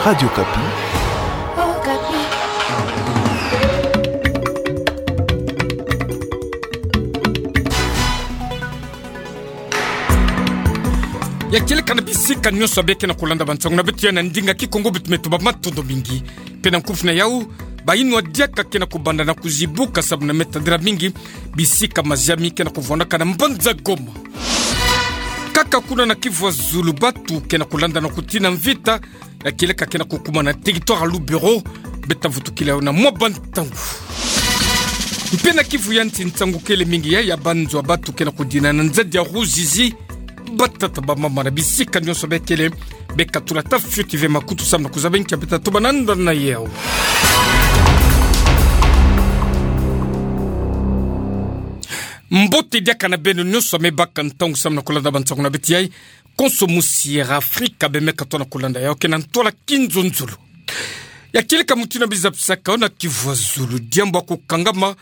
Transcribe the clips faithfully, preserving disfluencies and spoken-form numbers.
Radio Okapi. Ya kieleka na bisika nyonso beke na kulanda bansango na beto ya na ndinga Kikongo, beto me tuba matondo mingi. Mpe na nkufi na yau, bayinwa diaka ke na kubanda na kuzibuka sababu na me tadila mingi bisika maziami ke na kuvwandaka na mbanza Goma. Kaka kuna na Kivu ya Zulu, batu ke na kulanda na kutina mvita, ya kieleka ke na kukuma na territoire ya Lubero, beta vutukila yo na mwa bantangu. Mpe na Kivu ya Nsi, nsangu kele mingi ya, ya banzo ya batu ke na kudina na nzadi ya Ruzizi, batata, bamama na bisika nyonso bekele, beka tula ata fioti ve makutu samu na kuzaba nkia beta tuba na ndona yau. Mbote diaka na beno nyonso me baka ntangu samu na kulanda bansango na beto yai. Konso musi ya Afrika bemeka tona kulanda yau ke na ntwala kinzonzolo. Ya kieleka mutindu ya biza bisaka yo na Kivu ya Zulu, diambu ya kukangama,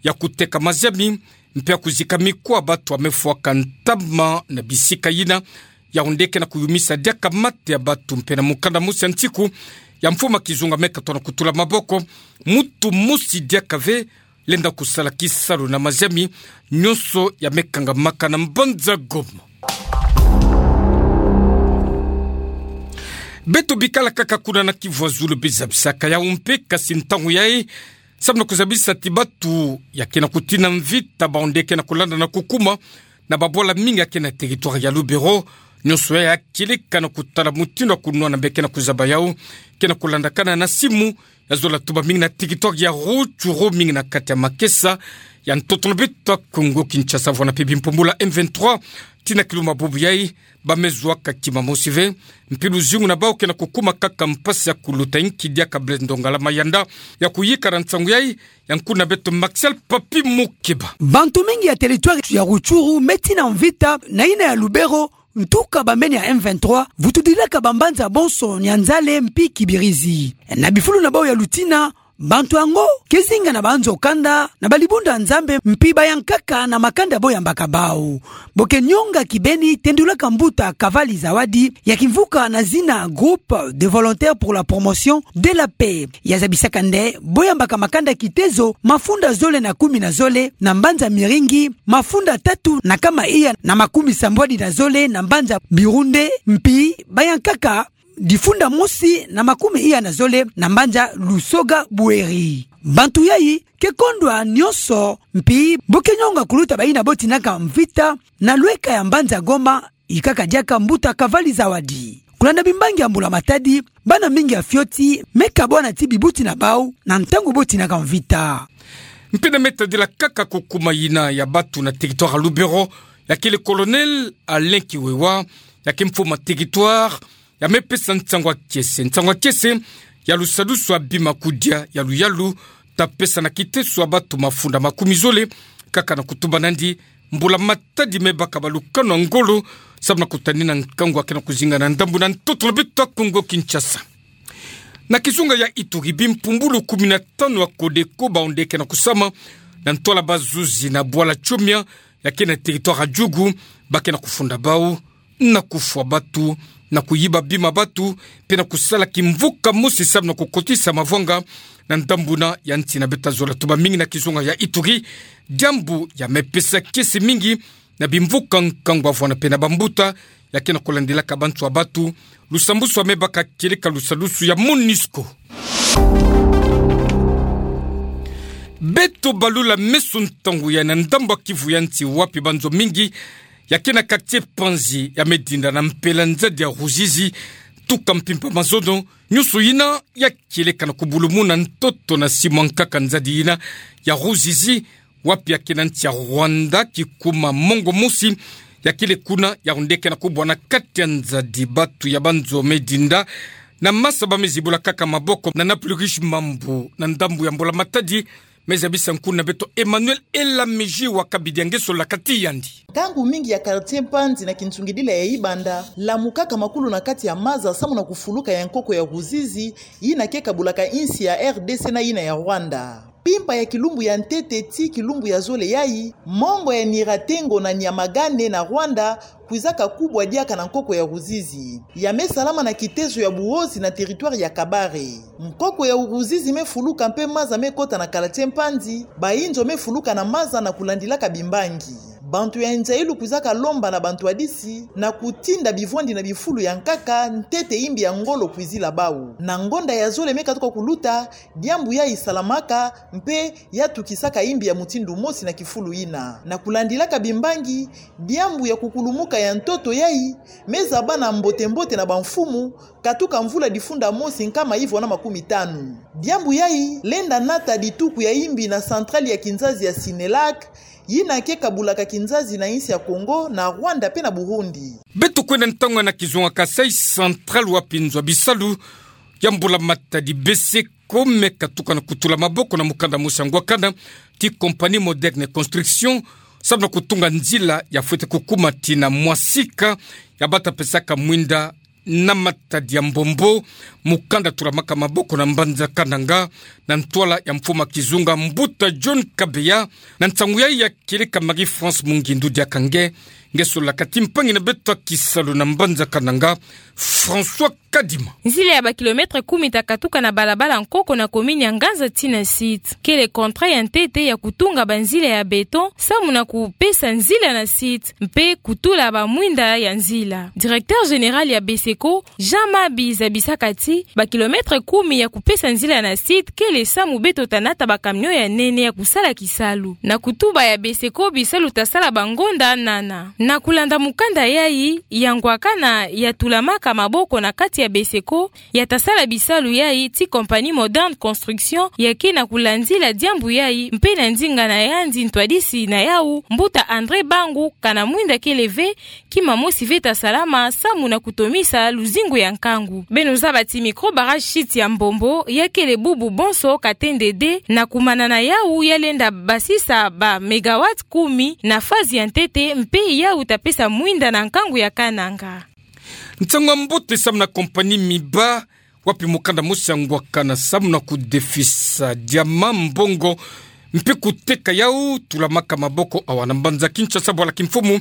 ya kuteka maziami, mpe ya kuzika mikuwa ya batu ya me fwaka ntama na bisika yina, yawu nde ke na kuyumisa diaka mate ya batu. Mpe na mukanda mosi ya nsiku ya mfumu ya kizunga meka tona kutula maboko, mutu mosi diaka ve lenda kusala kisalu na maziami nyonso ya me kangamaka na mbanza Goma. Beto bikala kaka kuna na Kivu ya Zulu, biza bisaka yau mpe, kasi ntangu yai, samu na kuzabisa ti batu ya ke na kutina mvita, bawu nde ke na kulanda na kukuma na babwala mingi ya ke na territoire ya Lubero, nyonso yai ya kieleka na kutala mutindu ya kunwana beke na kuzaba yau, ke na kulandakana na simu, ya zola tuba mingi na territoire ya Rutshuru, mingi na kati ya makesa ya ntoto na beto ya Kongo Kinshasa, vwanda mpe bimpumbulu ya M vingt-trois, tii na kilumbu bubu yai, ba me zwa kaka kima mosi ve, mpe luzingu na bawu ke na kukuma kaka mpasi ya kuluta, inki diaka Blaise Ndongala Mayanda ya kuyikala nsangu yai, ya nkuna beto Maxel Papi Mukeba. Bantu mingi ya territoire ya Rutshuru me tina mvita na yina ya Lubero, ntuka bambeni ya M vingt-trois, vutudilaka bambanza bonso Nyanzale mpi Kibirizi. Na bifulu na bawu ya lutina, bantu yango ke zinga na banzo kanda na balibundu ya Nzambe mpi bayankaka na makanda bo yambaka bawu. Bo ke nyonga kibeni tendulaka mbuta Kavali Zawadi ya kimvuka na zina Groupe de Volontaires pour la Promotion de la Paix. Ya zabisaka nde bo yambaka makanda kitezo mafunda zole na kumi na zole na mbanza Miringi, mafunda tatu na kama iya na makumi sambwadi na zole na mbanza Birunde, mpi bayankaka difunda mosi na makumi iya na zole na mbanza Lusoga Bweri. Bantu yai ke kondwa nyonso, mpi bo ke nyonga kuluta bayina bo tinaka mvita na lweka ya mbanza Goma, ikaka diaka mbuta Kavali Zawadi. Kulanda bimbangi ya mbula matadi, bana mingi ya fioti me kabwana ti bibuti na bawu na ntangu bo tinaka mvita. Mpe na me tadila kaka kukuma yina ya batu na territoire ya Lubero, ya kele Colonel Alain Kiwewa, ya ke mfumu ya territoire, ya me pesa nsangu ya kiese, nsangu ya kiese ya lusadusu ya bima kudia ya luyalu, ta pesa na kiteso ya batu mafunda makumi zole, kaka na kutuba nandi mbula matadi me baka balukanu ya ngolo, samu na kutanina nkangu ya ke na kuzinga na ndambu na ntoto na beto ya Kongo Kinshasa. Na kizunga ya Ituri, bimpumbulu kumi na tanu ya Codeco bawu nde ke na kusama na ntwala bazuzi na bwala Chomia, ya ke na territoire ya Djugu, ba ke na kufunda bawu na kufwa batu, na kuyiba bima batu, mpe na kusala kimvuka mosi samu na kukotisa mavwanga na ndambu na ya nsi na beto. Ta zola tuba mingi na kizunga ya Ituri, diambu ya me pesa kiese mingi na bimvuka nkangu ya vwanda mpe na bambuta ya ke na kulandilaka bantu ya batu, lusambusu ya me baka kieleka lusadusu ya MONUSCO. Beto balula meso ntangu ya na ndambu ya Kivu ya nsi, wapi banzo mingi ya ke na quartier Panzi ya me dinda na mpela nzadi ya Ruzizi, tuka mpimpa mazono, nyonso yina ya kieleka na kubulumuna ntoto na simu ya nkaka nzadi yina ya Ruzizi, wapi ya ke na nsi ya Rwanda, kikuma mongo mosi ya kele kuna, yawu nde ke na kubwana kati ya nzadi batu ya banzo me dinda. Na masa ba me zibula kaka maboko na Naplurish Mambu na ndambu ya mbula matadi, me zabisa nkuna beto Emmanuel Elamiji wa Kabidi ya ngeso la kati yandi. Nkangu mingi ya quartier Panzi na kinsungidila ya Ibanda lamukaka makulu na kati ya maza samu na kufuluka ya nkoko ya Ruzizi, yina ke kabulaka insi ya R D C na yina ya Rwanda. Kimpa ya kilumbu ya ntete tii kilumbu ya zole yayi, mongo ya Nyiratengo na Nyamagane na Rwanda kwizaka kubwa diaka na nkoko ya Ruzizi. Ya me salama na kitezo ya Buhozi na territoire ya Kabare. Nkoko ya Ruzizi me fuluka mpe maza me kota na kala tie Mpanzi, bayinzo me fuluka na maza na kulandilaka bimbangi. Bantu ya nza ilu kwizaka lomba na bantwadisi na kutinda bivwandi na bifulu ya nkaka ntete imbi ya ngolo kwizila bawu. Na ngonda ya zole me katuka kuluta, diambu yayi salamaka, mpe ya tukisaka imbi ya mutindu mosi na kifulu yina. Na kulandilaka bimbangi, diambu ya kukulumuka ya ntoto yayi me zaba na mbote-mbote na bamfumu, katuka mvula difunda mosi nkama ivwa na makumi tanu. Diambu yayi lenda nata dituku ya imbi na centrale ya kinzazi ya Sinelac, yina ke kabulaka kinzazi na insi ya Kongo, na Rwanda mpe na Burundi. Beto kwenda ntangu na kizunga Kasaï Central wapi nzo ya bisalu ya mbula-matadi BESECO me katuka na kutula maboko na mukanda mosi ya ngwakana ti Compagnie Moderne Construction, samu na kutunga nzila ya fwete kukuma tii na Mwasika, ya bata pesaka mwinda na Matadi ya Mbombo, mukanda tulamaka maboko na mbanza Kananga, na ntwala ya mfumu a kizunga Mbuta John Kabeya. Na nsangu yayi ya kieleka Marie-France Mungindu diaka nge, nge solaka ti mpangi na beto a kisalu na mbanza Kananga, François Kadima. Nzila ya ba kilomètres kumi ta katuka na balabala nkoko na commune ya Nganza tii na site. Kele contrat ya ntete ya kutunga banzila ya béton, samu na kupesa nzila na site, mpe kutula bamwinda ya nzila. Directeur général ya BESECO, Jean Mabi, zabisaka ti ba kilomètres kumi ya kupesa nzila na site kele samu beto ta nata ba camion ya nene ya kusala kisalu. Na kutuba ya BESECO, bisalu ta sala bangonda nana. Na kulanda mukanda yayi, ya ngwakana ya tulamaka maboko na kati ya BESECO, ya ta sala bisalu yayi ti Compagnie Moderne Construction, ya ke na kulandila diambu yayi, mpe na ndinga na yandi ntwadisi na yawu, Mbuta André Bangu, kana mwinda kele ve, kima mosi ve ta salama, samu na kutomisa luzingu ya nkangu. Beno zaba ti micro barrage chute ya Mbombo, ya kele bubu bonso Katende deux, na kumanana yawu ya lenda basisa ba mégawatts kumi na phase ya ntete, mpe yawu ta pesa mwinda na nkangu ya Kananga. Nsangu ya mbote samu na compagnie Miba, wapi mukanda mosi ya ngwakana samu na kudefisa diama, mbongo, mpe kuteka yawu tulamaka maboko awa na mbanza Kinshasa, bwala kimfumu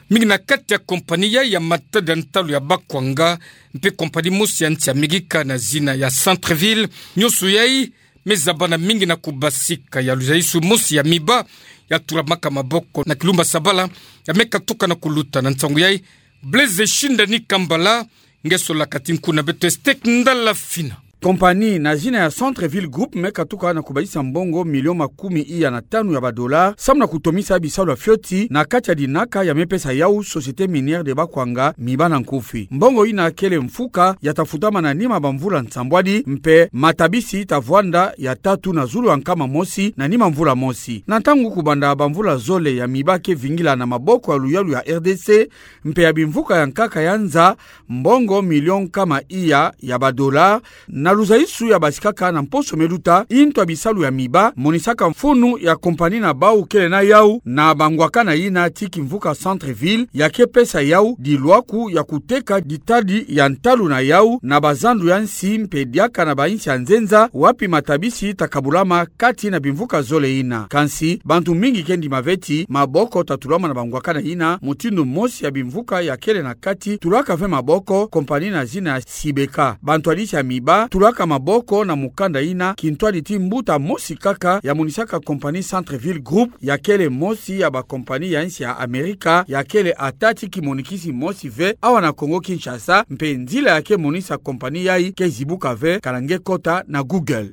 mingi na kati ya compagnie ya, ya matadi ya ntalu ya Bakwanga, mpe compagnie mosi ya nsi ya Amerika na zina ya Centreville. Nyonso yayi me zabana mingi na kubasika ya luzayisu mosi ya Miba ya tulamaka maboko na kilumbu Sabala, ya me katuka na kuluta. Na nsangu yayi, Blaise Shindani Kambala, nge solaka ti nku na beto Estek Ndala Fina. Compagnie na zina ya Centreville Group me katuka na kubasisa mbongo million makumi iya na tanu ya ba dollars, samu na kutomisa bisalu ya fioti na kati ya dinaka ya me pesa yawu Société Minière de Bakwanga, Miba na nkufi. Mbongo yina kele mfuka ya ta futama na nima bamvula nsambwadi, mpe matabisi ta vwanda ya tatu na zulu ya nkama mosi na nima mvula mosi. Na ntangu kubanda bamvula zole ya Miba ke vingila na maboko ya luyalu ya R D C, mpe ya bimvuka ya nkaka ya nza, mbongo million nkama iya ya ba dollars, na luzayisu ya basikaka na mposo me luta, intu ya bisalu ya Miba monisaka mfunu ya compagnie na bawu kele na yawu na bangwakana yina ti kimvuka Centreville, ya ke pesa yawu dilwaku ya kuteka ditadi ya ntalu na yawu na bazandu ya nsi mpe diaka na bainsi ya nzenza, wapi matabisi ta kabulama kati na bimvuka zole yina. Kansi, bantu mingi ke ndima ve ti maboko ta tulama na bangwakana yina, mutindu mosi ya bimvuka ya kele na kati tulaka ve maboko, compagnie na zina ya Sibeka. Bantwadisi ya Miba tulaka maboko na mukanda yina, kintwadi ti mbuta mosi kaka ya monisaka compagnie Centreville Group, ya kele mosi ya ba compagnie ya nsi ya Amerika, ya kele ata ti kimonikisi mosi ve awa na Kongo Kinshasa, mpe nzila ya ke monisa compagnie yayi ke zibuka ve, kana nge kota na Google.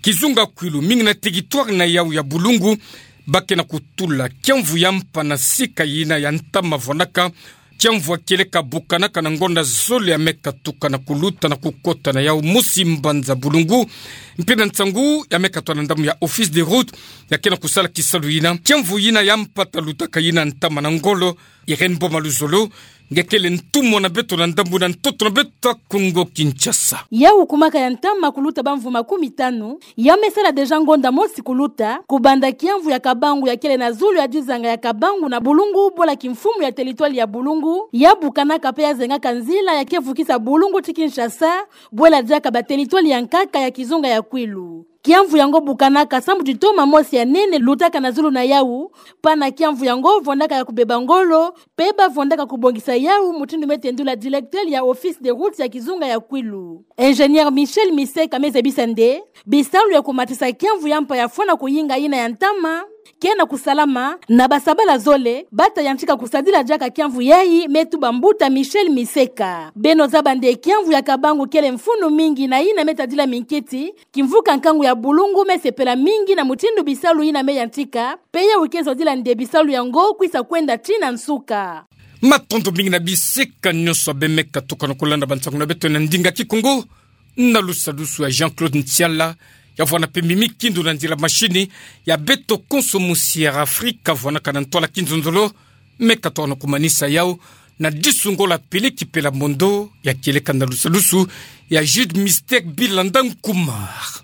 Kizunga Kwilu, mingi na territoire na yawu ya Bulungu, ba ke na kutula kiamvu ya mpa na sika yina ya ntama vwanaka, kiamvu ya kieleka bukanaka na ngonda zole ya me katuka na kuluta na kukota na yawu mosi mbanza Bulungu, mpe na nsangu ya me katwa na ndambu ya Office des Routes, ya ke na kusala kisalu yina. Kiamvu yina ya mpa ta lutaka yina ntama na ngolo, Irène Boma Luzolo, nge kele ntumwa na beto na ndambu na ntoto na beto ya Kongo Kinshasa. Yawu kumaka ya ntama kuluta bamvu makumi tanu, ya me sala déjà ngonda mosi kuluta, kubanda kiamvu ya Kabangu ya kele na zulu ya dizanga ya Kabangu na Bulungu, bwala kimfumu ya territoire ya Bulungu, ya bukanaka mpe ya zengaka nzila ya ke vukisa Bulungu ti Kinshasa, bwela diaka ba territoire ya nkaka ya kizunga ya Kwilu. Kiamvu yango bukanaka sambu ti toma mosi ya nene lutaka na zulu na yau, pana kiamvu yango vandaka ya kubeba ngolo, pe ba vandaka kubongisa yau, mutindu me tendula directeur ya Office des Routes ya kizunga ya Kwilu. Ingénieur Michel Miseka me zabisa nde bisalu ya kumatisa kiamvu ya mpa ya fwana kuyinga yina ya ntama, ke na kusalama, na basabala zole, bata yantika kusadila diaka kiamvu yayi, me tuba mbuta Michel Miseka. Beno zaba nde kiamvu ya Kabangu kele mfunu mingi na yina me tadila minkiti, kimvuka nkangu ya bulungu me sepela mingi na mutindu bisalu yina me yantika, pe yau ke zodila nde bisalu yango kwisa kwenda tii na nsuka. Matondo mingi na bisika nyonso abe me katuka na kulanda bansangu na beto na ndinga Kikongo, na lusadusu ya Jean-Claude Ntiala, ya vwana pe mimi kindu na nzila mashini, ya beto konso musi ya Afrika, vwanaka na ntwala kinzonzolo, me katuka na kumanisa yau, na disu ngo la pili kipela mondo, ya kieleka na lusadusu, ya Jude Mystère Bilanda Nkumar.